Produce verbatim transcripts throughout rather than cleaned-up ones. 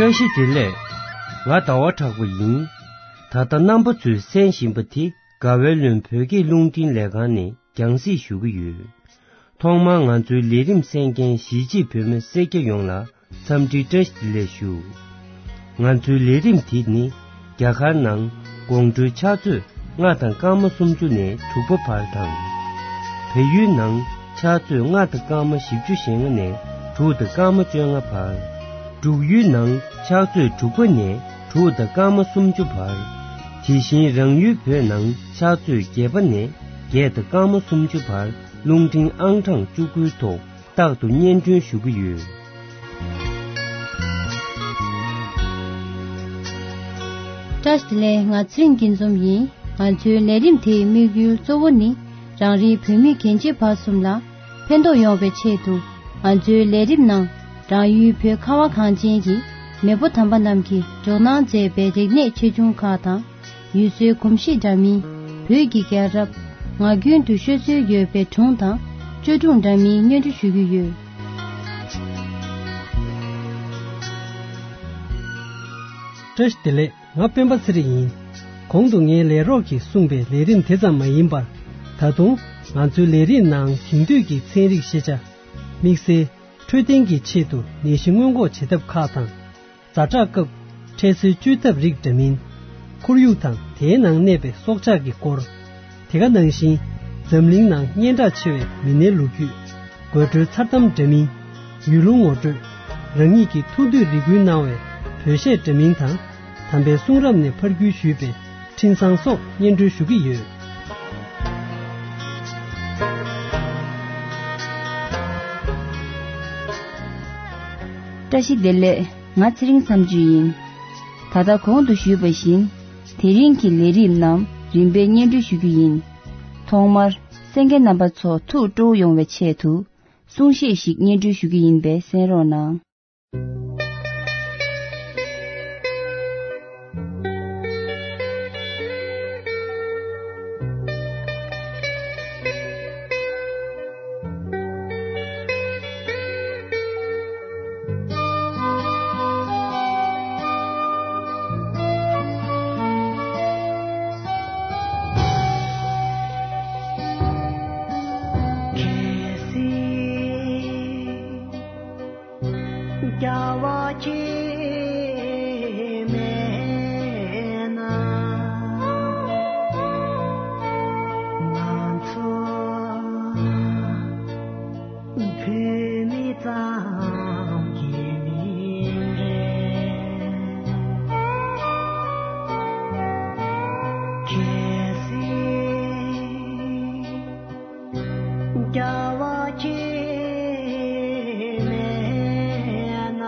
བཀྲ་ཤིས་བདེ་ལེགས། ང་ཟླ་བ་གྲགས་པ་ཡིན། ད་ལྟ་རྣམ་པ་ཚོས་གསན་བཞིན་པ་དེ་དགའ་བའི་ལུང་བོད་སྐད་རླུང་འཕྲིན་ལས་ཁང་ནས་རྒྱང་སྲིང་ཞུ་གི་ཡོད། ཐོག་མར་ང་ཚོའི་ལས་རིམ་གསན་མཁན་གཞིས་བྱེས་བོད་མི་སེར་སྐྱ་ཡོངས་ལ་འཚམས་འདྲི་བཀྲ་ཤིས་བདེ་ལེགས་ཞུ། ང་ཚོའི་ལས་རིམ་དེ་ནི་རྒྱ་གར་ནང་དགོང་དྲོའི་ཕྱག་ཚོད་ལྔ་དང་སྐར་མ་སུམ་ཅུ་ནས་དྲུག་པ་བར་དང་། བལ་ཡུལ་ནང་ཕྱག་ཚོད་ལྔ་དང་སྐར་མ་བཞི་བཅུ་ཞེ་ལྔ་ནས་དྲུག་དང་སྐར་མ་བཅོ་ལྔ་བར། འབྲུག་ཡུལ་ནང་ཕྱག་ཚོད་དྲུག་པ་ནས་དྲུག་དང་སྐར་མ་སུམ་ཅུ་བར། དེ་བཞིན་རང་ཡུལ་བོད་ནང་ཕྱག་ཚོད་བརྒྱད་པ་ནས་བརྒྱད་དང་སྐར་མ་སུམ་ཅུ་བར་རླུང་འཕྲིན་ཨང་གྲངས་བཅུ་དགུའི་ཐོག་རྟག་ཏུ་སྙན་སྒྲོན་ཞུ་གི་ཡོད། བཀྲ་ཤིས་བདེ་ལེགས། ང་ཚེ་རིང་སྐྱིད་འཛོམས་ཡིན། ང་ཚོའི་ལས་རིམ་དེའི་དམིགས་ཡུལ་གཙོ་བོ་ནི་རང་རེའི་བོད་མི་རྒན་བྱིས་བར་གསུམ་ལ་ཕན་ཐོགས་ཡོང་བའི་ཆེད་དུ། ང་ཚོའི་ལས་རིམ་ནང་རང་ཡུལ་བོད་ཁ་བ་གངས་ཅན་གྱི་མེས་པོ་དམ་པ་རྣམས་ཀྱིས་འཇོག་གནང་མཛད་པའི་རིག་གནས་ཆེ་ཆུང་ཁག་དང་། ཡུལ་སྲོལ་གོམས་གཤིས་འདྲ་མིན། བོད་ཀྱི་རྒྱལ་རབས། ངག་རྒྱུན་དུ་ཤོད་སྲོལ་ཡོད་པའི་སྒྲུང་དང་བཅོས་སྒྲུང་འདྲ་མིན་སྙན་སྒྲོན་ཞུ་གི་ཡོད། བཀྲ་ཤིས་བདེ་ལེགས། ང་སྤེན་པ་ཚེ་རིང་ཡིན། གོང་དུ་ངའི་ལས་རོགས་ཀྱིས་གསུངས་པའི་ལས་རིམ་དེ་ཙམ་མ་ཡིན་པར། ད་དུང་ང་ཚོའི་ལས་རིམ་ནང་དེང་དུས་ཀྱི་ཚན་རིག་ཤེས་བྱ། དམིགས་བསལ་འཕྲོད་བསྟེན་གྱི་ཆེད་དུ་ནད་གཞི་སྔོན་འགོག་བྱེད་ཐབས་ཁག་དང་། ཛ་དྲག་སྐབས་འཕྲལ་སེལ་བཅོས་ཐབས་རིགས་འདྲ་མིན། ཁོར་ཡུག་དང་དེའི་ནང་གནས་པའི་སྲོག་ཆགས་ཀྱི་སྐོར། དེ་ག་ནང་བཞིན་འཛམ་གླིང་ནང་སྙན་གྲགས་ཆེ་བའི་མི་སྣའི་ལོ་རྒྱུས། དགོད་བྲོའི་མཚར་གཏམ་འདྲ་མིན། ཡུལ་ལུང་ངོ་སྤྲོད། རང་ཉིད་ཀྱི་ཐུགས་འདོད་རེ་སྐུལ་གནང་བའི་བོད་གཞས་འདྲ་མིན་དང་། དམ་པའི་གསུང་རབ་ནས་ཕར་བརྒྱུད་ཞུས་པའི་འཕྲིན་བཟང་སོགས་སྙན་སྒྲོན་ཞུ་གི་ཡོད། བཀྲ་ཤིས་བདེ་ལེགས། ང་ཚེ་རིང་མཚམས་གཅོད་ཡིན། ད་ལྟ་གོང་དུ་ཞུས་པ་བཞིན། དེ་རིང་གི་ལས་རིམ་རྣམས་རིམ་པས་སྙན་སྒྲོན་ཞུ་རྒྱུ་ཡིན། ཐོག་མར་གསན་མཁན་རྣམ་པ་ཚོ་ཐུགས་སྤྲོ་བོ་ཡོང་བའི་ཆེད་དུ། གསུང་བཤད་ཞིག་སྙན་སྒྲོན་ཞུ་རྒྱུ་ཡིན་པས་གསན་རོགས་གནང་། རྒྱལ་བ་སྐྱེ་མེད་ན། ང་ཚོ་བོད་མི་ཙམ་གྱི་མིང་རེད། གལ་སྲིད་རྒྱལ་བ་སྐྱེ་མེད་ན།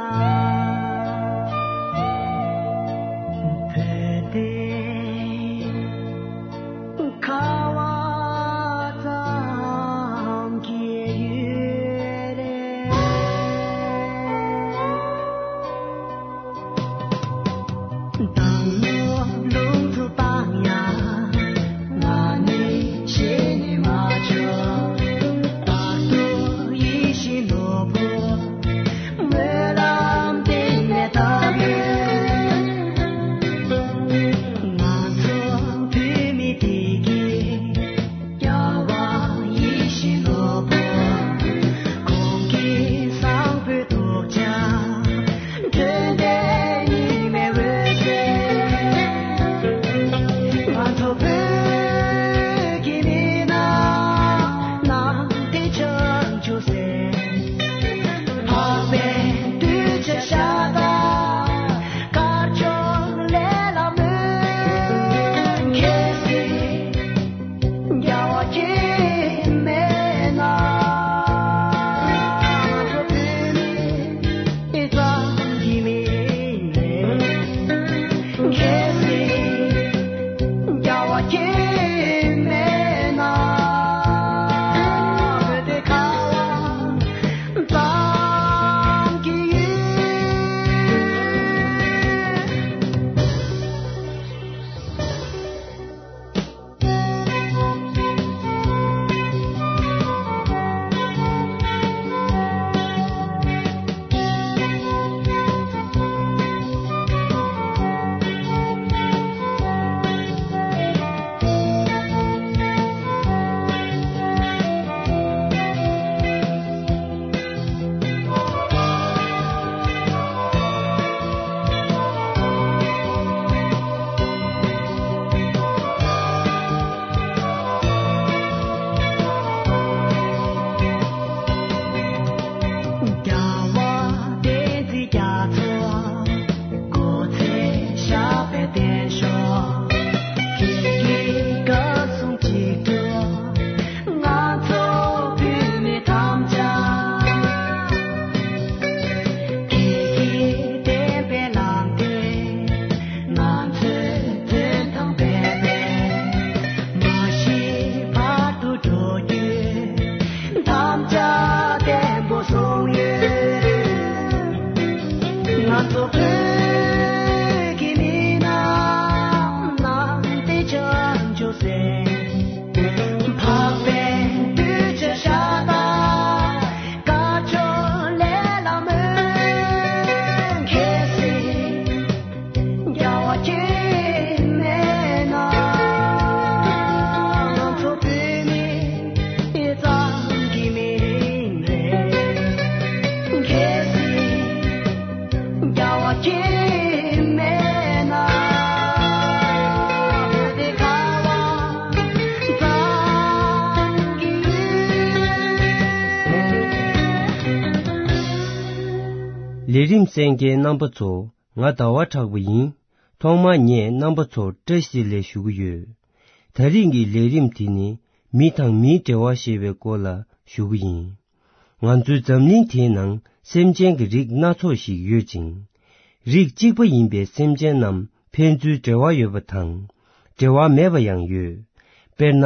རིམ་གསན་མཁན་རྣམ་པ་ཚོ། ང་ཟླ་བ་གྲགས་པ་ཡིན། ཐོག་མར་ངས་རྣམ་པ་ཚོར་བཀྲ་ཤིས་བདེ་ལེགས་ཞུ་གི་ཡོད། ད་རིང་གི་ལས་རིམ་དེ་ནི་མི་དང་མིའི་འབྲེལ་བ་ཞེས་པའི་སྐོར་ལ་ཞུ་གི་ཡིན། ང་ཚོའི་འཛམ་གླིང་དེའི་ནང་སེམས་ཅན་གྱི་རིགས་སྣ་ཚོགས་ཤིག་ཡོད་ཅིང་། རིགས་གཅིག་པ་ཡིན་པའི་སེམས་ཅན་རྣམས་ཕན་ཚུན་འབྲེལ་བ་ཡོད་པ་དང་། འབྲེལ་བ་མེད་པ་ཡང་ཡོད། དཔེར་ན།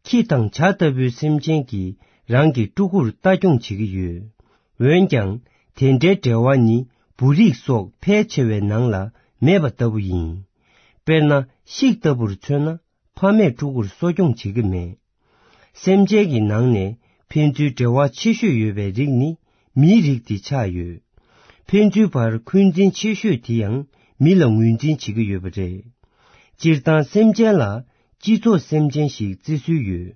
ཁྱི་དང་བྱ་ལྟ་བུའི་སེམས་ཅན་གྱིས་རང་གི་ཕྲུ་གུར་ལྟ་སྐྱོང་བྱེད་ཀྱི་ཡོད། འོན་ཀྱང་། དེ་འདྲའི་འབྲེལ་བ་ནི་འབུ་རིགས་སོགས་ཕལ་ཆེ་བའི་ནང་ལ་མེད་པ་ལྟ་བུ་ཡིན། དཔེར་ན། ཤིག་ལྟ་བུར་མཚོན་ན། ཕ་མས་ཕྲུ་གུར་གསོ་སྐྱོང་བྱེད་ཀྱི་མེད། སེམས་ཅན་གྱི་ནང་ནས་ཕན་ཚུན་འབྲེལ་བ་ཆེ་ཤོས་ཡོད་པའི་རིགས་ནི་མིའི་རིགས་དེ་ཆགས་ཡོད། ཕན་ཚུན་བར་འཁོན་འཛིན་ཆེ་ཤོས་དེ་ཡང་མི་ལ་ངོས་འཛིན་བྱེད་ཀྱི་ཡོད་པ་རེད། སྤྱིར་བཏང་སེམས་ཅན་ལ་སྤྱི་ཚོགས་སེམས་ཅན་ཞིག་བརྩི་སྲོལ་ཡོད།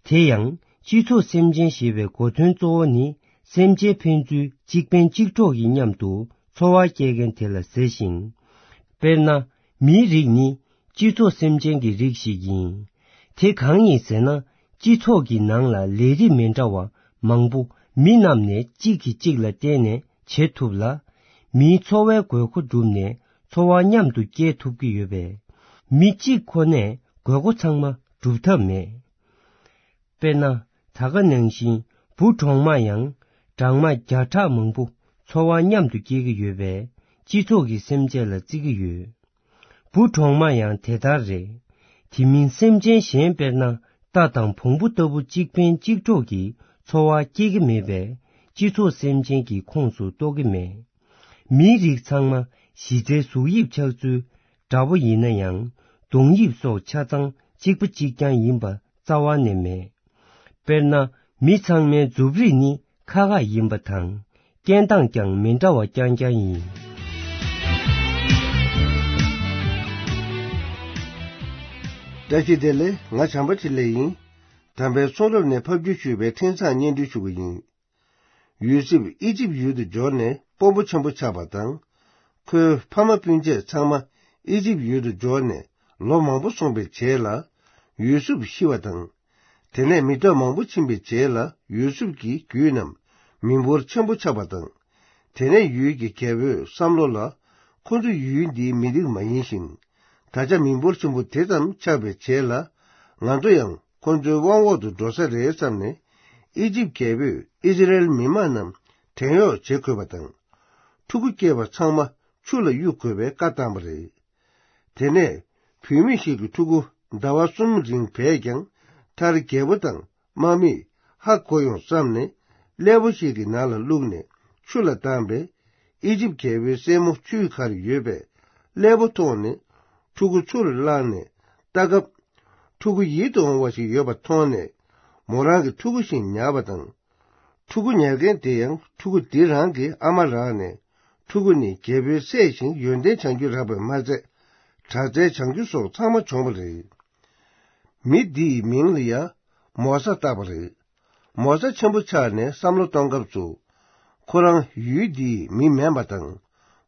དེ་ཡང་། སྤྱི་ཚོགས་སེམས་ཅན་ཞེས་པའི་གོ་དོན་གཙོ་བོ་ནི་སེམས་ཅན་ཕན་ཚུན་གཅིག་ཕན་གཅིག་གྲོགས་ཀྱི་མཉམ་དུ་འཚོ་བ་སྐྱེལ་མཁན་དེ་ལ་ཟེར་ཞིང་། དཔེར་ན། མིའི་རིགས་ནི་སྤྱི་ཚོགས་སེམས་ཅན་གྱི་རིགས་ཤིག་ཡིན། དེ་གང་ཡིན་ཟེར་ན། སྤྱི་ཚོགས་ཀྱི་ནང་ལ་ལས་རིགས་མི་འདྲ་བ་མང་པོ་མི་རྣམས་ནས་གཅིག་གིས་གཅིག་ལ་བརྟེན་ནས་བྱེད་ཐུབ་ལ། མིའི་འཚོ་བའི་དགོས་མཁོ་བསྒྲུབས་ནས་འཚོ་བ་མཉམ་དུ་སྐྱེལ་ཐུབ་ཀྱི་ཡོད་པས། མི་གཅིག་ཁོ་ནས་དགོས་མཁོ་ཚང་མ་སྒྲུབ་ཐབས་མེད། དཔེར་ན། ད་ག་ནང་བཞིན་འབུ་གྲོག་མ་ཡང་སྦྲང་མ་བརྒྱ་ཕྲག་མང་པོ་འཚོ་བ་མཉམ་དུ་སྐྱེལ་གྱི་ཡོད་པས་སྤྱི་ཚོགས་ཀྱི་སེམས་ཅན་ལ་བརྩི་གི་ཡོད། འབུ་གྲོག་མ་ཡང་དེ་ལྟར་རེད། དེ་མིན་སེམས་ཅན་གཞན་དཔེར་ན་རྟ་དང་བོང་བུ་ལྟ་བུ་གཅིག་ཕན་གཅིག་གྲོགས་ཀྱིས་འཚོ་བ་སྐྱེལ་གྱི་མེད་པས་སྤྱི་ཚོགས་སེམས་ཅན་གྱི་ཁོངས་སུ་གཏོགས་ཀྱི་མེད། མིའི་རིགས་ཚང་མ་གཞི་རྩའི་གཟུགས་དབྱིབས་ཆགས་ཚུལ་འདྲ་པོ་ཡིན་ན་ཡང་གདོང་དབྱིབས་སོགས་ཆ་ཚང་གཅིག་པ་གཅིག་རྐྱང་ཡིན་པ་རྩ་བ་ནས་མེད། དཔེར་ན། མི་ཚང་མའི་མཛུབ་རིས་ནི་ཁ་ཁ་ཡིན་པ་དང་། སྐྱེས་སྟངས་ཀྱང་མི་འདྲ་བ་རྐྱང་རྐྱང་ཡིན། བཀྲ་ཤིས་བདེ་ལེགས། ང་བྱམས་པ་ཆེ་ལེགས་ཡིན། དམ་པའི་གསུང་རབ་ནས་ཕབ་བསྒྱུར་ཞུས་པའི་འཕྲིན་བཟང་སྙན་སྒྲོན་ཞུ་གི་ཡིན། ཡོ་སེབ་ཨི་ཇིབ་ཡུལ་དུ་འབྱོར་ནས་དཔོན་པོ་ཆེན་པོ་ཆགས་པ་དང་། ཁོའི་ཕ་མ་སྤུན་མཆེད་ཚང་མ་ཨི་ཇིབ་ཡུལ་དུ་འབྱོར་ནས་ལོ་མང་པོ་སོང་བའི་རྗེས་ལ། ཡོ་སེབ་ཤི་བ་དང་། དེ་ནས་མི་ཐོག་མང་པོ་ཕྱིན་པའི་རྗེས་ལ་ཡོ་སེབ་ཀྱི་རྒྱུད་རྣམས་མི་འབོར་ཆེན་པོ་ཆགས་པ་དང་། དེ་ནས་ཡུལ་གྱི་རྒྱལ་པོའི་བསམ་བློ་ལ། ཁོ་ཚོ་ཡུལ་འདིའི་མི་རིགས་མ་ཡིན་ཞིང་། ད་ཆ་མི་འབོར་ཆེན་པོ་དེ་ཙམ་ཆགས་པའི་རྗེས་ལ། ང་ཚོ་ཡང་ཁོ་ཚོའི་དབང་འོག་ཏུ་འགྲོ་ས་རེད་བསམ་ནས། ཨི་ཇིབ་རྒྱལ་པོས་ཨི་སི་རེལ་མི་མང་རྣམས་བྲན་གཡོག་བྱེད་དགོས་པ་དང་། ཕྲུ་གུ་སྐྱེས་པ་ཚང་མ་ཆུ་ལ་གཡུག་དགོས་པའི་བཀའ་བཏང་བ་རེད། དེ་ནས་བུད་མེད་ཞིག་གི་ཕྲུ་གུ་ཟླ་བ་གསུམ་རིང་བས་ཀྱང་། མཐར་རྒྱལ་པོ་དང་དམག་མིས་ཧ་གོ་ཡོང་བསམ་ནས། ཀླད་པ་ཞིག་གི་ནང་ལ་བླུགས་ནས་ཆུ་ལ་བཏང་པས། ཨི་ཇིབ་རྒྱལ་པོའི་སྲས་མོ་ཆུའི་ཁར་ཡོད་པས། ཀླད་པ་མཐོང་ནས་ཕྲུ་གུ་ཆུ་ལ་བླངས་ནས་ལྟ་སྐབས། ཕྲུ་གུ་ཡིད་དུ་འོང་བ་ཞིག་ཡོད་པ་མཐོང་ནས། མོ་རང་གི་ཕྲུ་གུ་བཞིན་ཉར་བ་དང་། ཕྲུ་གུ་ཉར་མཁན་དེ་ཡང་ཕྲུ་གུ་འདི་རང་གི་ཨ་མ་རང་ནས། ཕྲུ་གུ་ནི་རྒྱལ་པོའི་སྲས་ཤིང་ཡོན་ཏན་བྱང་རྒྱུ་རག་པས་མ་ཚད། དྲག་རྩལ་བྱང་རྒྱུ་སོགས་ཚང་མ་བྱུང་བ་རེད། མི་འདིའི་མིང་ལ་ཡང་མོ་ས་བཏགས་པ་རེད། མོ་ས་ཆེན་པོ་ཆགས་ནས་བསམ་བློ་གཏོང་སྐབས་སུ། ཁོ་རང་ཡུལ་འདིའི་མི་མིན་པ་དང་།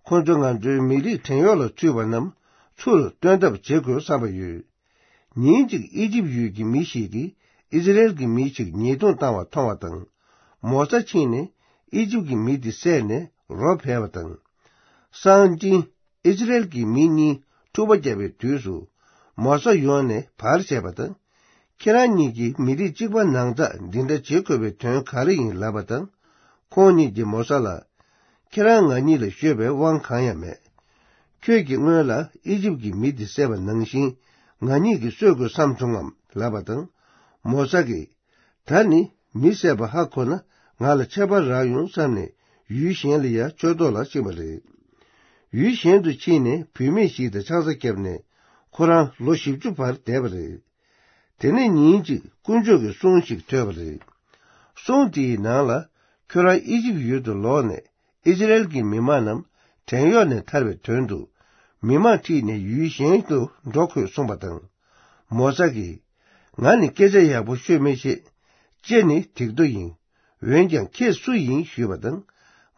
ཁོ་ཚོ་ང་ཚོའི་མི་རིགས་བྲན་གཡོག་ལ་ཚུད་པ་རྣམས་ཚུར་བཏོན་ཐབས་བྱེད་དགོས་བསམ་པ་ཡོད། ཉིན་གཅིག་ཨི་ཇིབ་ཡུལ་གྱི་མི་ཞིག་གིས་ཨི་སི་རེལ་གྱི་མི་ཞིག་ཉེས་རྡུང་བཏང་བ་མཐོང་བ་དང་། མོ་ས་ཕྱིན་ནས་ཨི་ཇིབ་ཀྱི་མི་དེ་བསད་ནས་རོ་ཕལ་བ་དང་། སང་ཅིན་ཨི་སི་རེལ་གྱི་མི་གཉིས་འཁྲུག་པ་བརྒྱབ་པའི་དུས་སུ། མོ་ས་ཡོང་ནས་བར་བྱས་པ་དང་། ཁྱེད་རང་གཉིས་ཀྱིས་མི་རིགས་གཅིག་པ་ནང་ཚགས་འདི་འདྲ་བྱེད་དགོས་པའི་དོན་ག་རེ་ཡིན་ལབ་པ་དང་། ཁོང་གཉིས་ཀྱིས་མོ་ས་ལ། ཁྱེད་རང་ང་གཉིས་ལ་ཤོད་པའི་དབང་གང་ཡང་མེད། ཁྱོད་ཀྱིས་སྔོན་ལ་ཨི་ཇིབ་ཀྱི་མི་འདི་བསད་པ་ནང་བཞིན་ང་གཉིས་ཀྱིས་གསོད་དགོས་བསམ་བྱུང་ངམ་ལབ་པ་དང་། མོ་ས་གིས། ད་ནི་མི་བསད་པ་ཧ་གོ་ན་ང་ལ་ཆད་པ་རག་ཡོང་བསམ་ནས་ཡུལ་གཞན་ལ་ཡང་ཆོས་ཐོག་ལ་ཕྱིན་པ་རེད། ཡུལ་གཞན་དུ་ཕྱིན་ནས་བུད་མེད་ཞིག་དང་ཆང་ས་བརྒྱབ་ནས་ཁོ་རང་ལོ་བཞི་བཅུ་བར་བསྡད་པ་རེད། དེ་ནས་ཉིན་གཅིག་དཀོན་མཆོག་གི་གསུང་ཞིག་ཐོས་པ་རེད། གསུང་དེའི་ནང་ལ། ཁྱོད་རང་ཨི་ཇིབ་ཡུལ་དུ་ལོག་ནས་ཨི་སི་རེལ་གྱི་མི་མང་རྣམས་བྲན་གཡོག་ནས་ཐར་བའི་དོན་དུ། མི་མང་ཁྲིད་ནས་ཡུལ་གཞན་དུ་འགྲོ་དགོས་གསུངས་པ་དང་། མོ་ས་གིས། ང་ནི་སྐད་ཆ་ཡག་པོ་ཤོད་མི་ཤེས། ལྕེ་ནི་སྡིག་ཏོ་ཡིན། འོན་ཀྱང་ཁྱེད་སུ་ཡིན་ཞུས་པ་དང་།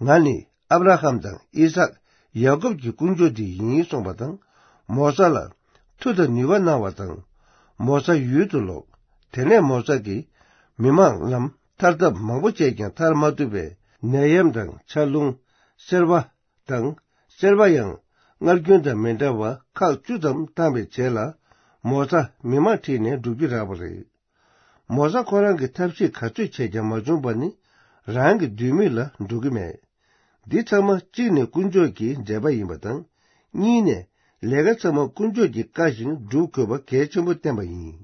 ང་ནི་ཨབ་ར་ཧམ་དང་ཨི་སཱག་ཡ་ཀོབ་ཀྱི་དཀོན་མཆོག་དེ་ཡིན་གསུངས་པ་དང་། མོ་ས་ལ་མཐུ་དང་ནུས་པ་གནང་བ་དང་། མོ་ས་ཡུལ་དུ་ལོག་དེ་ནས་མོ་ས་གིས་མི་མང་རྣམས་ཐར་ཐབས་མང་པོ་བྱས་ཀྱང་ཐར་མ་ཐུབ་པས། ནད་ཡམས་དང་ཆར་རླུང་། སེར་བ། དང་སེར་པ་ཡང་སྔར་རྒྱུན་དང་མི་འདྲ་བར་ཁག་བཅུ་ཙམ་བཏང་བའི་རྗེས་ལ། མོ་ཚ་མི་མང་ཁྲིད་ནས་འགྲོ་རྒྱུ་རག་པ་རེད། མོ་ཚ་ཁོ་རང་གི་ཐབས་ཤེས་ག་ཚོད་བྱས་ཀྱང་མ་བྱུང་བ་ནི། རང་གི་འདོད་མོས་ལ་འགྲོ་གི་མེད། འདི་ཚང་མ་གཅིག་ནས་དཀོན་མཆོག་གི་མཛད་པ་ཡིན་པ་དང་། གཉིས་ནས་ལས་ཀ་ཚང་མ་དཀོན་མཆོག་གིས་བཀའ་བཞིན་སྒྲུབ་དགོས་པ་གལ་ཆེན་པོ་བསྟན་པ་ཡིན།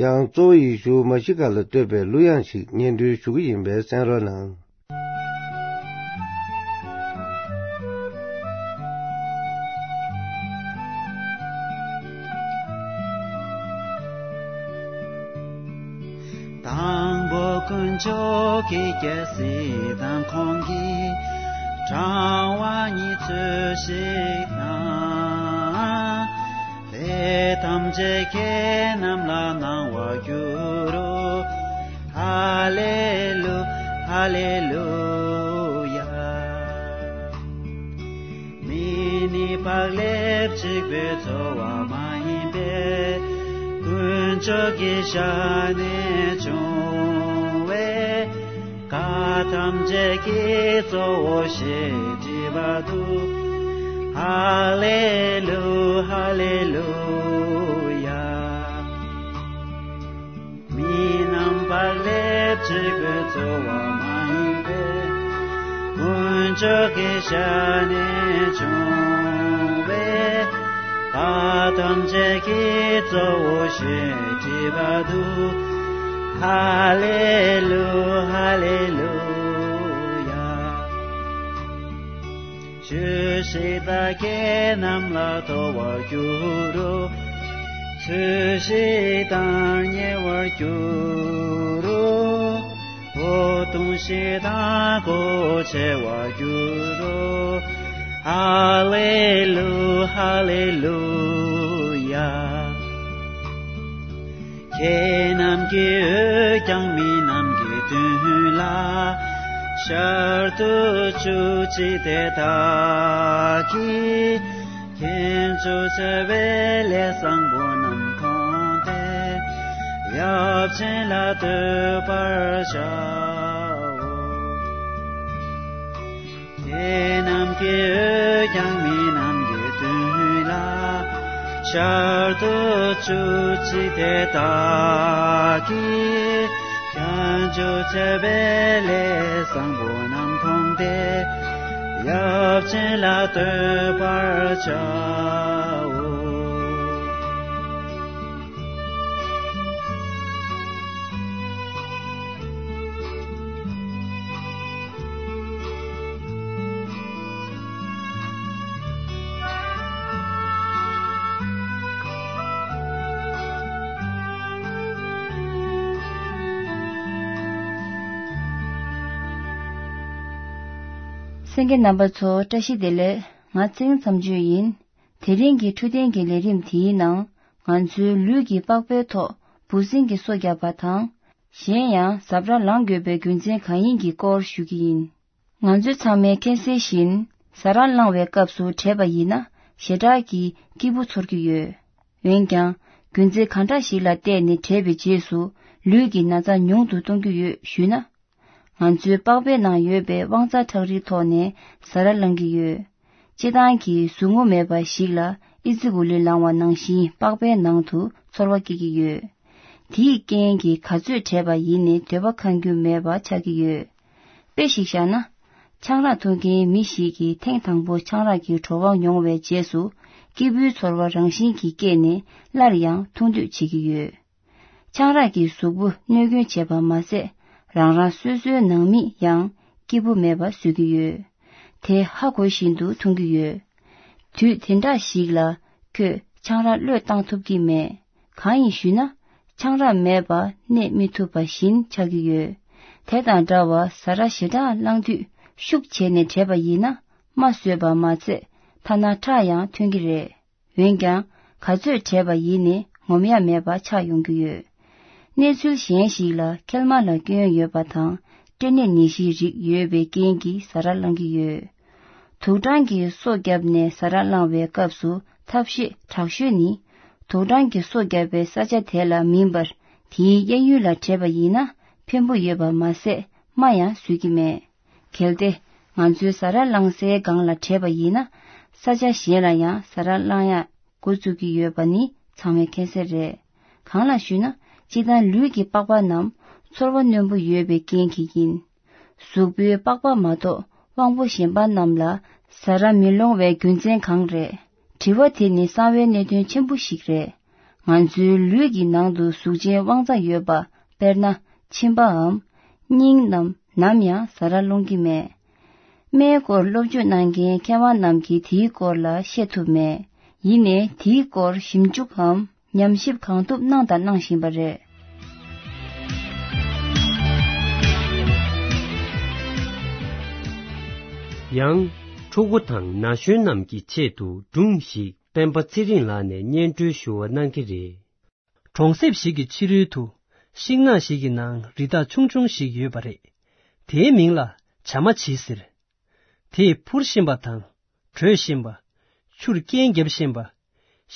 ཡང་གཙོ་བོ་ཡེ་ཤུ་མ་ཤི་ཀ་ལ་བསྟོད་པའི་གླུ་དབྱངས་ཤིག་སྙན་སྒྲོན་ཞུ་གི་ཡིན་པས་གསན་རོགས་གནང་། དང་པོ་དཀོན་མཆོག་གི་རྒྱལ་སྲིད་དང་ཁོང་གི་དྲང་བ་ཉིད་ཚུལ་བཞིན་དང་། ལས་ཐམས་ཅད་ཁྱེད་རྣམས་ལ་གནང་བར་འགྱུར་རོ། ཧ་ལེ་ལུ། ཧ་ལེ་ལུ་ཡ། མི་ནི་བག་ལེབ་གཅིག་པུས་འཚོ་བ་མ་ཡིན་པས། དཀོན་མཆོག་གི་ཞལ་ནས་བྱུང་བའི་བཀའ་ཐམས་ཅད་ཀྱི་གཙོ་བོ་ཞེས་བྲིས་པ་འདུག། ཧ་ལེ་ལུ། ཧ་ལེ་ལུ་ཡ། མི་རྣམས་བག་ལེབ་གཅིག་པུས་འཚོ་བ་མ་ཡིན་པས། དཀོན་མཆོག་གི་ཞལ་ནས་བྱུང་བའི་བཀའ་ཐམས་ཅད་ཀྱི་གཙོ་བོ་ཞེས་བྲིས་པ་འདུག། ཧ་ལེ་ལུ། ཧ་ལེ་ལུ་ཡ། ཆོས་ཤིག་དང་ཁྱེད་རྣམས་ལ་ཐོབ་པར་འགྱུར་རོ། ཚོས་ཤིག་དང་ཉེ་བར་འགྱུར་རོ། འོ་འཐུང་ཤིག་དང་གོ་ཆེ་བར་འགྱུར་རོ། ཧ་ལེ་ལུ། ཧ་ལེ་ལུ་ཡ། ཁྱེད་རྣམས་ཀྱི་འོད་ཀྱང་མི་རྣམས་ཀྱི་མདུན་ལ་ཤར་དུ་བཅུག་ཅིག། དེ་དག་གིས་ཁྱེད་ཚོ་འཚོ་བའི་ལས་བཟང་པོ་རྣམས་མཐོང་སྟེ་ཡབ་ཆེན་ལ་བསྟོད་པར་བྱའོ། ཁྱེད་རྣམས་ཀྱི་འོད་ཀྱང་མི་རྣམས་ཀྱི་མདུན་ལ་ཤར་དུ་བཅུག་ཅིག། དེ་དག་གིས་ཁྱེད་ཚོ་འཚོ་བའི་ལས་བཟང་པོ་རྣམས་མཐོང་སྟེ་ཡབ་ཆེན་ལ་བསྟོད་པར་བྱའོ། གསན་མཁན་རྣམ་པ་ཚོ་བཀྲ་ཤིས་བདེ་ལེགས། ང་ཚེ་རིང་མཚམས་གཅོད་ཡིན། དེ་རིང་གི་འཕྲོད་བསྟེན་གྱི་ལས་རིམ་དེའི་ནང་ང་ཚོའི་ལུས་ཀྱི་པགས་པའི་ཐོག་འབུ་སྲིན་གྱི་སོ་བརྒྱབ་པ་དང་། གཞན་ཡང་གཟབ་ར་ལངས་དགོས་པའི་རྒྱུ་མཚན་གང་ཡིན་གྱི་སྐོར་ཞུ་གི་ཡིན། ང་ཚོ་ཚང་མས་མཁྱེན་གསལ་བཞིན་གཟབ་ར་ལངས་པའི་སྐབས་སུ་བྲེགས་པ་ཡིན་ན་ཞེ་དྲག་གི་སྐྱིད་པོ་ཚོར་གྱི་ཡོད། འོན་ཀྱང་རྒྱུ་མཚན་གང་འདྲ་ཞིག་ལ་བརྟེན་ནས་བྲེགས་པའི་རྗེས་སུ་ལུས་ཀྱི་ན་ཚ་ཉུང་དུ་གཏོང་རྒྱུ་ཡོད་ཞུས་ན། ང་ཚོའི་པགས་པའི་ནང་ཡོད་པའི་དབང་རྩ་ཁྲག་རིལ་ཐོག་ནས་གཟབ་ར་ལངས་ཀྱི་ཡོད། སྤྱིར་བཏང་གི་ཟུག་རྔུ་མེད་པ་ཞིག་ལ་ཨི་ཙི་གུ་ལི་ལངས་པ་ནང་བཞིན་པགས་པའི་ནང་དུ་ཚོར་བ་སྐྱེ་གི་ཡོད། དེའི་རྐྱེན་གྱིས་ག་ཚོད་བྲེགས་པ་ཡིན་ནའི་འདོད་པ་ཁེངས་རྒྱུ་མེད་པ་ཆགས་ཀྱི་ཡོད། དཔེ་ཞིག་བཞག་ན། ཆང་རག་འཐུང་མཁན་མི་ཞིག་གིས་ཐེངས་དང་པོ་ཆང་རག་གི་བྲོ་བ་མྱོང་བའི་རྗེས་སུ་སྐྱིད་པོའི་ཚོར་བ་རང་བཞིན་གྱིས་སྐྱེས་ནས་སླར་ཡང་འཐུང་འདོད་བྱེད་ཀྱི་ཡོད། ཆང་རག་གིས་གཟུགས་པོ་གནོད་སྐྱོན་བྱེད་པ་མ་ཟད། རང་རང་སོ་སོའི་ནང་མི་ཡང་སྐྱིད་པོ་མེད་པ་བཟོ་གི་ཡོད། དེ་ཧ་གོ་བཞིན་དུ་འཐུང་གི་ཡོད། དུས་དེ་འདྲ་ཞིག་ལ་ཁོས་ཆང་རག་བློས་བཏང་ཐུབ་ཀྱི་མེད། གང་ཡིན་ཞུས་ན། ཆང་རག་མེད་པར་གནས་མི་ཐུབ་པ་བཞིན་ཆགས་ཀྱི་ཡོད། དེ་དང་འདྲ་བར་གཟབ་ར་ཞེ་དྲག་ལངས་དུས་ཤུགས་བྱས་ནས་བྲེགས་པ་ཡིན་ན་རྨ་བཟོས་པ་མ་ཚད་ཐ་ན་ཁྲག་ཡང་ཐོན་གྱི་རེད། འོན་ཀྱང་ག་ཚོད་བྲེགས་པ་ཡིན་ནའི་ངོམ་ཡ་མེད་པ་ཆགས་ཡོང་གི་ཡོད། གནས་ཚུལ་གཞན་ཞིག་ལ་མཁལ་མ་ལ་སྐྱོན་ཡོད་པ་དང་སྐྲན་ནད་ནད་གཞིའི་རིགས་ཡོད་པའི་རྐྱེན་གྱིས་གཟབ་ར་ལངས་ཀྱི་ཡོད། དུག་སྦྲང་གིས་སོ་བརྒྱབ་ནས་གཟབ་ར་ལངས་པའི་སྐབས་སུ་ཐབས་ཤེས་དྲག་ཤོས་ནི། དུག་སྦྲང་གིས་སོ་བརྒྱབ་པའི་ས་ཆ་དེ་ལ་མིན་པར་དེའི་གཡས་གཡོན་ལ་བྲེགས་པ་ཡིན་ན་ཕན་པོ་ཡོད་པ་མ་ཟད་རྨ་ཡང་བཟོས་ཀྱི་མེད། གལ་ཏེ། ང་ཚོའི་ཟ་ར་བླངས་སའི་སྒང་ལ་བྲེས་པ་ཡིན་ན། ས་ཆ་གཞན་ལ་ཡང་ཟ་ར་བླངས་ཡག་འགོ་བཙུགས་ཀྱི་ཡོད་པ་ནི་ཚང་མས་མཁྱེན་གསལ་རེད། གང་ལགས་ཞུས་ན། སྤྱིར་བཏང་ལུས་ཀྱི་པགས་པ་རྣམས་ཚོར་བ་རྣོན་པོ་ཡོད་པའི་རྐྱེན་གྱིས་ཡིན། གཟུགས་པོའི་པགས་པ་མ་གཏོགས་དབང་པོ་གཞན་པ་རྣམས་ལ་ཟ་ར་མི་སློང་བའི་རྒྱུ་མཚན་གང་རེད། དྲི་བ་དེ་ནི་གསང་བའི་གནད་དོན་ཆེན་པོ་ཞིག་རེད། ང་ཚོའི་ལུས་ཀྱི་ནང་དུ་གཟུགས་ཅན་དབང་རྩ་ཡོད་པ། དཔེར་ན། མཆིན་པའམ། སྙིང་རྣམས་ནམ་ཡང་ཟ་ར་སློང་གི་མེད། སྨན་སྐོར་སློབ་སྦྱོང་གནང་མཁན་མཁས་དབང་རྣམས་ཀྱིས་དེའི་སྐོར་ལ་བཤད་ཐུབ་མེད། ཡིན་ནའི་དེའི་སྐོར་ཞིབ་འཇུག་གམ་ཉམས་ཞིབ་གང་ཐུབ་གནང་དང་གནང་བཞིན་པ་རེད། ཡང་། ཕྲུ་གུ་དང་ན་གཞོན་རྣམས་ཀྱི་ཆེད་དུ་སྒྲུང་ཞིག་སྤེན་པ་ཚེ་རིང་ལགས་ནས་སྙན་སྒྲོན་ཞུ་བ་གནང་གི་རེད། གྲོང་གསེབ་ཞིག་གི་ཕྱི་རོལ་དུ་ཤིང་ནགས་ཤིག་གི་ནང་རི་དྭགས་ཆུང་ཆུང་ཞིག་ཡོད་པ་རེད། དེའི་མིང་ལ་བྱ་མ་བྱི་ཟེར། དེས་འཕུར་ཤེས་པ་དང་། བྲོས་ཤེས་པ། ཆུར་རྐྱལ་རྒྱབ་ཤེས་པ།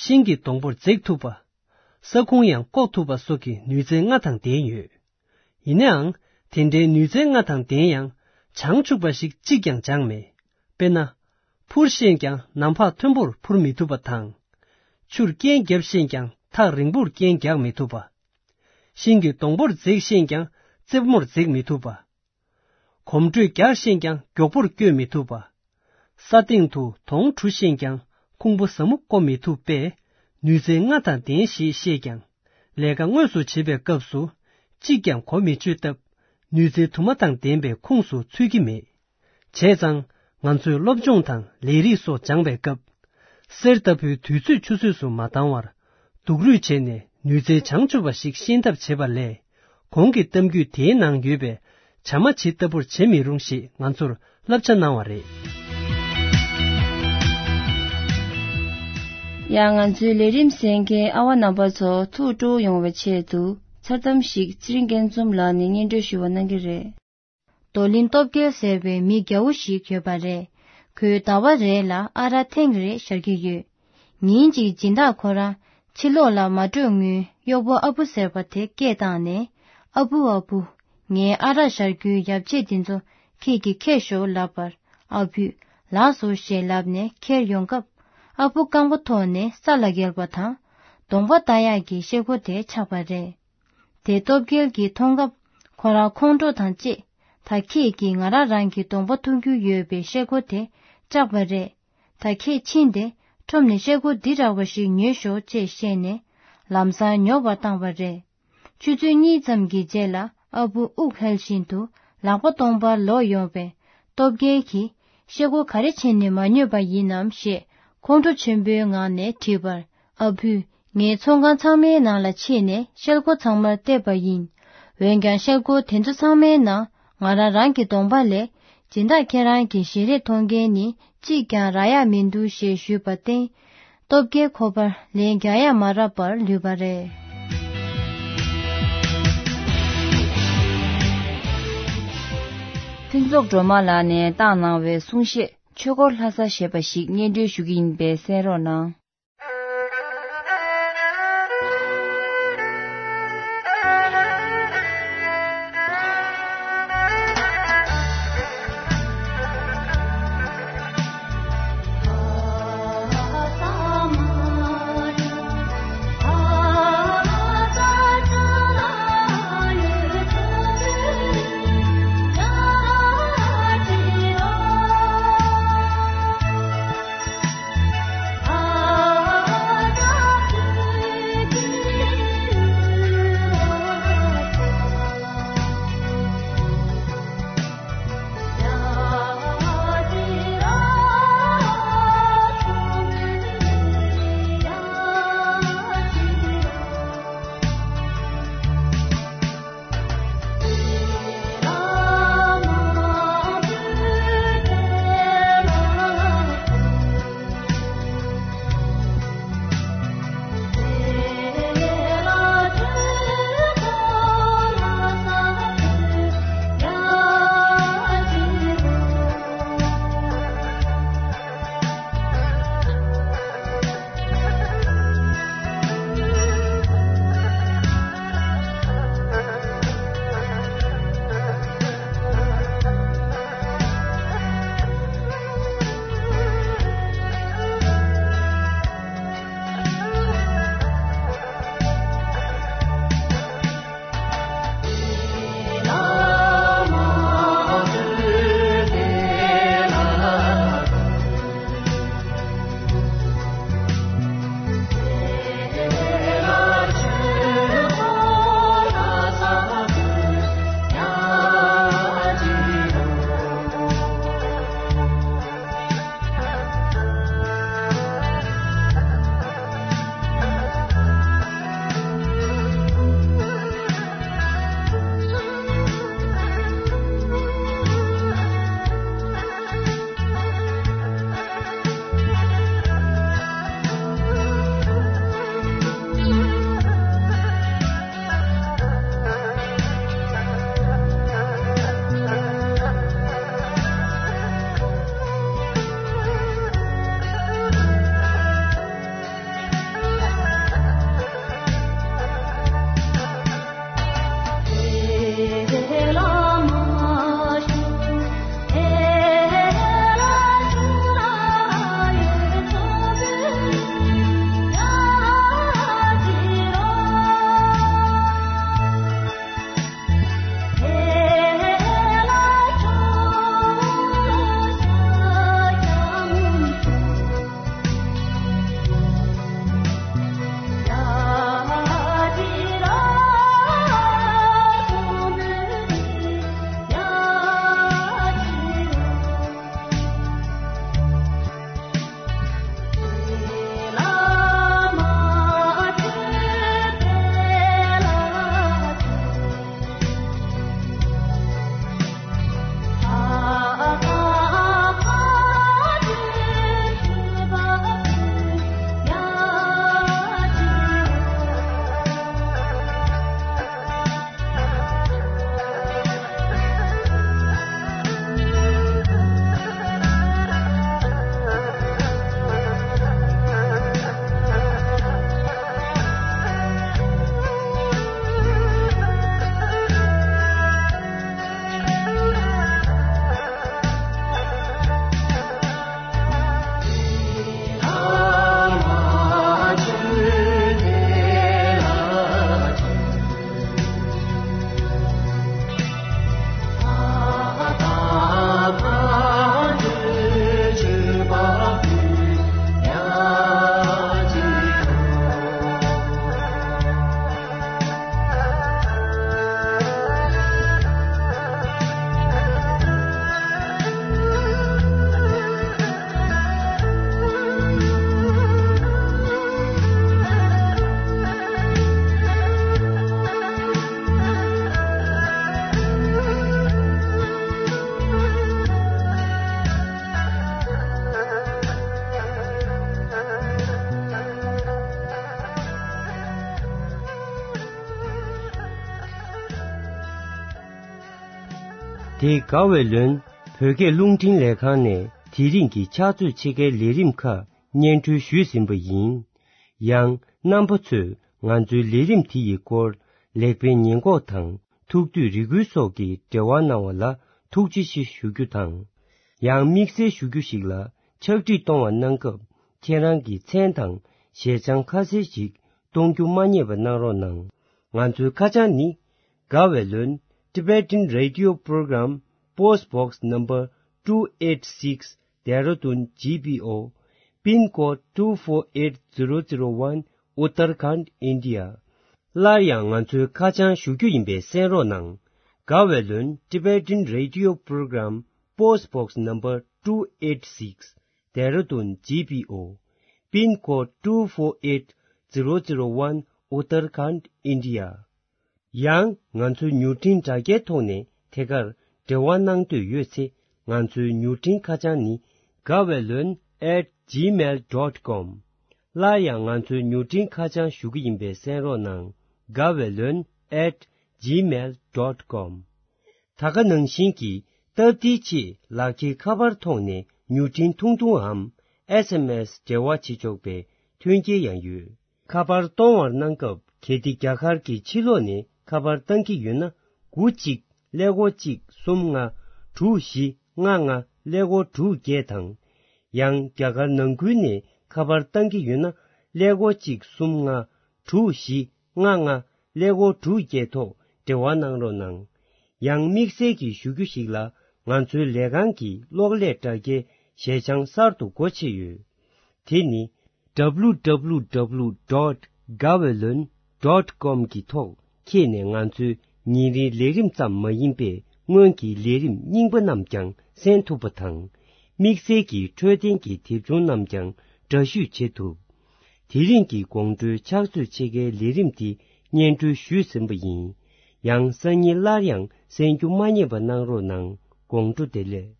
ཤིང་གི་སྡོང་པོར་འཛེག་ཐུབ་པ། ས་ཁུང་ཡང་བཀོག་ཐུབ་པ་སོགས་ཀྱི་ནུས་རྩལ་ལྔ་དང་ལྡན་ཡོད། ཡིན་ནའང་། དེ་འདྲའི་ནུས་རྩལ་ལྔ་དང་ལྡན་ཡང་། བྱང་ཆུབ་པ་ཞིག་གཅིག་ཀྱང་སྦྱངས་མེད། དཔེར་ན། འཕུར་ཤེས་ཀྱང་ནམ་ཕག་མཐོན་པོར་འཕུར་མི་ཐུབ་པ་དང་། ཆུར་རྐྱལ་རྒྱབ་ཤེས་ཀྱང་ཐག་རིང་པོར་རྐྱལ་རྒྱག་མི་ཐུབ་པ། ཤིང་གི་སྡོང་པོར་འཛེག་ཤེས་ཀྱང་རྩེ་མོར་འཛེག་མི་ཐུབ་པ། གོམ་བགྲོད་རྒྱག་ཤེས་ཀྱང་མགྱོགས་པོར་བསྐྱོད་མི་ཐུབ་པ། ས་སྟེང་དུ་དོང་གྲུ་ཤེས་ཀྱང་ཁུང་བུ་ཟབ་མོ་བརྐོ་མི་ཐུབ་པས། ནུས་རྩལ་ལྔ་དང་ལྡན་ཞེས་བཤད་ཀྱང་། ལས་ཀ་དངོས་སུ་བྱེད་པའི་སྐབས་སུ། གཅིག་ཀྱང་གོ་མི་ཆོད་སྟབས། ནུས་རྩལ་དུ་མ་དང་ལྡན་པའི་ཁོངས་སུ་ཚུད་ཀྱི་མེད། བྱས་ཙང་། ང་ཚོས་སློབ་སྦྱོང་དང་ལས་རིགས་སོགས་སྦྱངས་པའི་སྐབས། གསེར་ལྟ་བུའི་དུས་ཚོད་ཆུད་ཟོས་སུ་མ་བཏང་བར། སྡུག་རུས་བྱས་ནས་ནུས་རྩལ་བྱང་ཆུབ་པ་ཞིག་ཤེས་ཐབས་བྱེད་པ་ལས། གོང་གི་གཏམ་རྒྱུད་དེའི་ནང་ཡོད་པའི་བྱ་མ་བྱི་ལྟ་བུར་བྱེད་མི་རུང་ཞེས་ང་ཚོར་བསླབ་བྱ་གནང་བ་རེད། ཡང་ང་ཚོའི་ལས་རིམ་གསན་མཁན་ཨ་བ་རྣམ་པ་ཚོ་ཐུགས་སྤྲོ་ཡོང་བའི་ཆེད་དུ་མཚར་གཏམ་ཞིག་ཚེ་རིང་སྐྱིད་འཛོམས་ལགས་ནས་སྙན་སྒྲོན་ཞུ་བ་གནང་གི་རེད། རྡོར་གླིང་སྟོབས་རྒྱལ་ཟེར་བའི་མི་རྒྱ་བོ་ཞིག་ཡོད་པ་རེད། ཁོས་ཟླ་བ་རེ་ལ་ཨ་རག་ཐེངས་རེ་བཞར་གྱི་ཡོད། ཉིན་གཅིག་སྦྱིན་བདག་ཁོ་རང་ཕྱི་ལོགས་ལ་མ་འགྲོ་སྔོན་གཡོག་པོ་ཨ་བུ་ཟེར་བ་དེ་སྐད་བཏང་ནས། ཨ་བུ་ཨ་བུ། ངའི་ཨ་རག་བཞར་རྒྱུའི་ཡབ་ཆས་འདི་ཚོ་ཁྱེད་ཀྱིས་འཁྱེར་ཤོག་ལབ་པར། ཨ་བུས་ལགས་སོ་ཞེས་ལབ་ནས་འཁྱེར་ཡོང་སྐབས། ཨ་བུ་རྐང་པ་ཐོག་ནས་ས་ལ་འགྱེལ་བ་དང་། གདོང་པ་ལྟ་ཡག་གི་ཤེལ་སྒོ་དེ་ཆག་པ་རེད། དེ་སྟོབས་རྒྱལ་གྱིས་མཐོང་སྐབས། ཁོ་རང་ཁོང་ཁྲོ་དང་བཅས། ད་ཁྱེད་ཀྱིས་ང་རང་རང་གི་གདོང་པ་མཐོང་རྒྱུ་ཡོད་པའི་ཤེལ་སྒོ་དེ་བཅག་པ་རེད། ད་ཁྱེད་ཕྱིན་ཏེ་ཁྲོམ་ནས་ཤེལ་སྒོ་འདི་འདྲ་བ་ཞིག་ཉོས་ཤོག་ཅེས་བཤད་ནས་ལམ་སང་ཉོ་བར་བཏང་བ་རེད། ཆུ་ཚོད་གཉིས་ཙམ་གྱི་རྗེས་ལ་ཨ་བུ་དབུགས་ཧལ་བཞིན་དུ་ལག་པ་སྟོང་པར་ལོག་ཡོང་བས། སྟོབས་རྒྱལ་གྱིས། ཤེལ་སྒོ་ག་རེ་བྱས་ནས་མ་ཉོས་པ་ཡིན་ནམ་ཞེས་ཁོང་ཁྲོ་ཆེན་པོའི་ངང་ནས་དྲིས་པར། ཨ་བུས། ངས་ཚོང་ཁང་ཚང་མའི་ནང་ལ་ཕྱིན་ནས་ཤེལ་སྒོ་ཚང་མར་བལྟས་པ་ཡིན། འོན་ཀྱང་ཤེལ་སྒོ་དེ་ཚོ་ཚང་མའི་ནང་ང་རང་རང་གི་གདོང་པ་ལས། སྦྱིན་བདག་ཁྱེད་རང་གི་ཞལ་རས་མཐོང་མཁན་ནི་གཅིག་ཀྱང་རག་ཡག་མི་འདུག་ཞེས་ཞུས་པར་བརྟེན། སྟོབས་རྒྱལ་ཁོ་པར་ལན་རྒྱག་ཡག་མ་རག་པར་ལུས་པ་རེད། ཕུན་ཚོགས་སྒྲོལ་མ་ལགས་ནས་བཏང་གནང་བའི་གསུང་བཤད། ཆོས་འཁོར་ལྷ་ས་ཞེས་པ་ཞིག་སྙན་སྒྲོན་ཞུ་གི་ཡིན་པས་གསན་རོགས་གནང་། དེ་དགའ་བའི་ལོན་བོད་སྐད་རླུང་འཕྲིན་ལས་ཁང་ནས་དེ་རིང་གི་ཕྱག་ཚོད་ཕྱེད་ཀའི་ལས་རིམ་ཁག་སྙན་སྒྲོན་ཞུས་ཟིན་པ་ཡིན། ཡང་རྣམ་པ་ཚོས་ང་ཚོའི་ལས་རིམ་དེ་ཡི་སྐོར་ལེགས་སྤེལ་ཉེས་འགོག་དང་ཐུགས་འདོད་རེ་སྐུལ་སོགས་ཀྱི་འབྲེལ་བ་གནང་བ་ལ་ཐུགས་རྗེ་ཆེ་ཞུ་རྒྱུ་དང་། ཡང་དམིགས་བསལ་ཞུ་རྒྱུ་ཞིག་ལ་ཕྱག་བྲིས་གཏོང་བ་གནང་སྐབས་ཁྱེད་རང་གི་མཚན་དང་ཞལ་བྱང་ཁ་གསལ་ཞིག་གཏོང་རྒྱུ་མ་བསྙེལ་བ་གནང་རོགས་གནང་། ང་ཚོའི་ཁ་བྱང་ནི། དགའ་བའི་ལོན། Tibetan Radio Program, Post Box Number two eight six, Dehradun G P O, Pin Code two four eight zero zero one, Uttarakhand, India. སླར་ཡང་ང་ཚོའི་ཁ་བྱང་ཞུ་རྒྱུ་ཡིན་པས་གསན་རོགས་གནང་། དགའ་བའི་ལོན། Tibetan Radio Program, Post Box Number two eight six, Dehradun G P O, Pin Code two four eight zero zero one, Uttarakhand, India. ཡང་ང་ཚོའི་མྱུར་འཕྲིན་དྲ་རྒྱའི་ཐོག་ནས་ཐད་ཀར་འབྲེལ་བ་གནང་འདོད་ཡོད་ཚེ་ང་ཚོའི་མྱུར་འཕྲིན་ཁ་བྱང་ནི། དགའ་བའི་ལོན་at gmail dot com. སླར་ཡང་ང་ཚོའི་མྱུར་འཕྲིན་ཁ་བྱང་ཞུ་གི་ཡིན་པས་གསན་རོགས་གནང་། དགའ་བའི་ལོན་at gmail dot com. ད་ག་ནང་བཞིན་གྱི་སྟབས་བདེའི་ཆེད་ལག་འཁྱེར་ཁ་པར་ཐོག་ནས་མྱུར་འཕྲིན་ཐུང་ཐུང་འམ་S M S འབྲེལ་བ་བྱེད་ཆོག་པའི་མཐུན་རྐྱེན་ཡང་ཡོད། ཁ་པར་གཏོང་བར་གནང་སྐབས་གལ་ཏེ་རྒྱ་གར་གྱི་ཕྱི་ལོགས་ནས་ཁ་པར་བཏང་གི་ཡོད་ན། དགུ་གཅིག་ཀླད་ཀོར་གཅིག་གསུམ་ལྔ་དྲུག་བཞི་ལྔ་ལྔ་ཀླད་ཀོར་དྲུག་བརྒྱད་དང་། ཡང་རྒྱ་གར་ནང་ཁུལ་ནས་ཁ་པར་བཏང་གི་ཡོད་ན། ཀླད་ཀོར་གཅིག་གསུམ་ལྔ་དྲུག་བཞི་ལྔ་ལྔ་ཀླད་ཀོར་དྲུག་བརྒྱད་ཐོག་འབྲེལ་བ་གནང་རོགས་གནང་། ཡང་དམིགས་བསལ་གྱི་ཞུ་རྒྱུ་ཞིག་ལ་ང་ཚོའི་ལས་ཁང་གི་གློག་ཀླད་དྲ་རྒྱའི་ཞལ་བྱང་གསར་དུ་སྒོ་ཕྱེ་ཡོད། དེ་ནི། W W W dot gawaylon dot com གི་ཐོག་འཁྱེར་ནས་ང་ཚོའི་ཉིན་རེའི་ལས་རིམ་ཙམ་མ་ཡིན་པའི་སྔོན་གྱི་ལས་རིམ་རྙིང་པ་རྣམས་ཀྱང་གསན་ཐུབ་པ་དང་། དམིགས་བསལ་གྱི་འཕྲོད་བསྟེན་གྱི་དེབ་ཆུང་རྣམས་ཀྱང་འདྲ་བཤུས་བྱེད་ཐུབ། དེ་རིང་གི་དགོང་དྲོའི་ཕྱག་ཚོད་ཕྱེད་ཀའི་ལས་རིམ་འདི་སྙན་སྒྲོན་ཞུས་ཟིན་པ་ཡིན། ཡང་སང་ཉིན་སླར་ཡང་གསན་རྒྱུ་མ་བསྙེལ་བ་གནང་རོགས་གནང་། དགོང་དྲོ་བདེ་ལེགས།